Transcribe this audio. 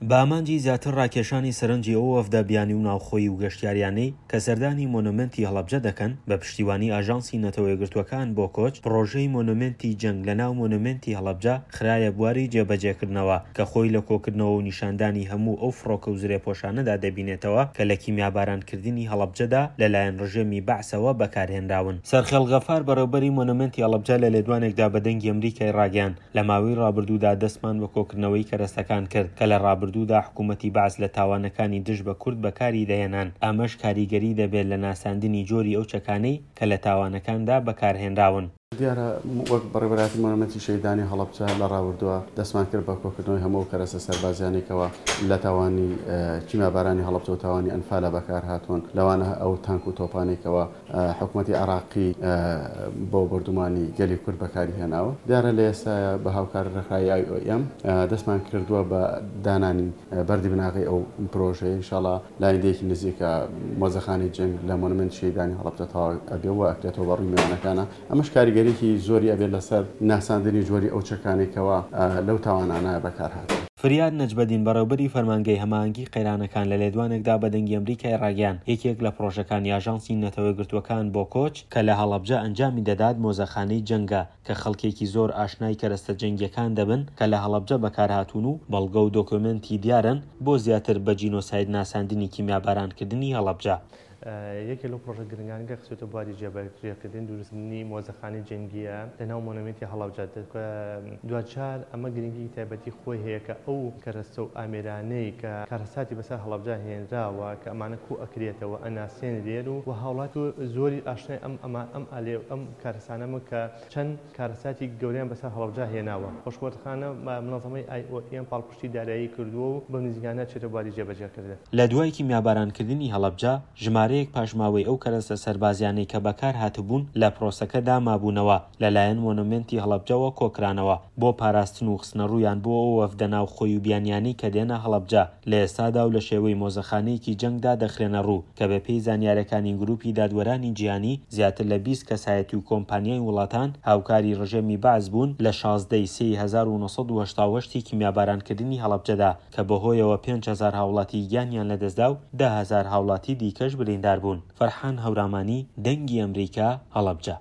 بە ئامانجی زیاتر ڕاکێشانی سەرنجی ئەو وەفدە بیانی و ناوخۆیی و گەشتیاریانەی کە سەردانی مۆنۆمێنتی هەڵەبجە دەکەن، بە پشتیوانی ئاژانسی نەتەوەیەکگرتووەکان بۆ کۆچ، پڕۆژەی مۆنۆمێنتی جەنگ لەناو مۆنۆمێنتی هەڵەبجە خرایە بواری جێبەجێکردنەوە کە خۆی لە کۆکردنەوە و نیشاندانی هەموو ئەو فڕۆکە و زرێپۆشانەدا دەبینێتەوە کە لە کیمیابارانکردنی هەڵەبجەدا لەلایەن ڕژێمی بەعسەوە بەکارهێنراون. سەرخێڵ غەفار بەڕێوبەری مۆنۆمێنتی هەڵەبجە لە لێدوانێکدا بە دەنگی ئەمریکای ڕاگەیاند، لە ماوەی ڕابردوودا دەستمان بە کۆکردنەوەی کەرەستەکان کرد کە لە ڕابردوودا حکوومەتی بەعس لە تاوانەکانی دژ بە کورد بەکاری دەهێنان، ئەمەش کاریگەری دەبێت لە ناساندنی جۆری ئەو چەکانەی کە لە تاوانەکاندا بەکارهێنراون. دیارە وەک بەڕێوەبەرایەتی مۆنۆمێنتی شەهیدانی هەڵەبجە لە ڕابردووە دەستمان کرد بە کۆکردنەوەی هەموو ئەو کەرەستە سەربازیانەی کەوا لە تاوانی کیمیابارانی هەڵەبجە و تاوانی ئەنفالە بەکارهاتوون، لەوانە ئەو تانک و تۆپانەی کەوا حکومەتی عێراقی بۆ بۆردومانی گەلی کورد بەکاری هێناوە. دیارە لە ئێستایا بە هاوکاری ڕێکخراوی ئای ئۆ ئێم دەستمان کردووە بە دانانی بەردی بناغەی ئەو پرۆژەیە، ئینشاڵا لە ئایندەیەکی نزیکا مۆزەخانەی جەنگ لە مۆنۆمێنتی شەهیدانی هەڵەبجە تەواو ئەبێ و ئەکرێتەوە بە ڕووی میوانەکانا، ئەمەش کاریگەریی زۆری ئەبێت لەسەر ناساندنی جۆری ئەو چەکانەی کەوا لەو تاوانانە بەکار هاتوون. فریاد نەجمەدین بەڕێوبەری فەرمانگەی هەماهەنگی قەیرانەکان لە لێدوانێکدا بە دەنگی ئەمریکای ڕاگەیاند یەکێک لە پڕۆژەکانی ئاژانسی نەتەوەیەکگرتووەکان بۆ کۆچ کە لە هەڵەبجە ئەنجامی دەدات مۆزەخانەی جەنگە کە خەڵکێکی زۆر ئاشنای کەرەستە جەنگیەکان دەبن کە لە هەڵەبجە بەکارهاتوون و بەڵگە و دۆکۆمێنتی دیارن بۆ زیاتر بە جینۆساید ناساندنی کیمیابارانکردنی هەڵەبجە. یەکێک لەو پڕۆژە گرنگانە کە خستووەتە بواری جێبەجێکردن دروستکردنی مۆزەخانەی جەنگییە لەناو مۆنۆمێنتی هەڵەبجە. دواجار ئەمە گرنگیی تایبەتی خۆی هەیە کە ئەو کەرەستە و ئامێرانەی کە کارەساتی بەسەر هەڵەبجە هێنراوە کە ئەمانە کۆ ئەکرێتەوە ئەناسێنرێن و هاوڵاتی زۆری ئاشنای ئەم ئەمە ئەم ئالێ ئەم کارەسانە بن کە چەند کارەساتی گەورەیان بەسەر هەڵەبجە هێناوە. خۆشبەختانە مونەزەمەی ئای ئۆ ئێم پاڵپشتی دارایی کردووە و بەم نزیکانە ئەچێتە بواری جێبەجێکردن. لە دوای کیمیابارانکردنی هەڵەبجە، ژمارەیەک پاشماوەی ئەو کەرەستە سەربازیانەی کە بەکارهاتبوون لە پرۆسەکەدا مابوونەوە، لەلایەن مۆنۆمێنتی هەڵەبجەوە کۆکرانەوە، بۆ پاراستن و خستنەڕوویان بۆ ئەو وەفدە ناوخۆی و بیانیانەی کە دێنە هەڵەبجە، لە ئێستادا و لە شێوەی مۆزەخانەیەکی جەنگدا دەخرێنەڕوو، کە بەپێی زانیارەکانی گروپی دادوەرانی جیهانی، زیاتر لە 20 کەسایەتی و کۆمپانیای وڵاتان هاوکاری ڕژێمی بەعس بوون لە 16 ی سێی 1988 ی کیمیابارانکردنی هەڵەبجەدا کە بەهۆیەوە 5000 هاوڵاتی گیانیان لەدەستدا و 10,000 هاوڵاتی دیکەش بریندار بوون. فەرحان هەورامانی، دەنگی ئەمریکا، هەڵەبجە.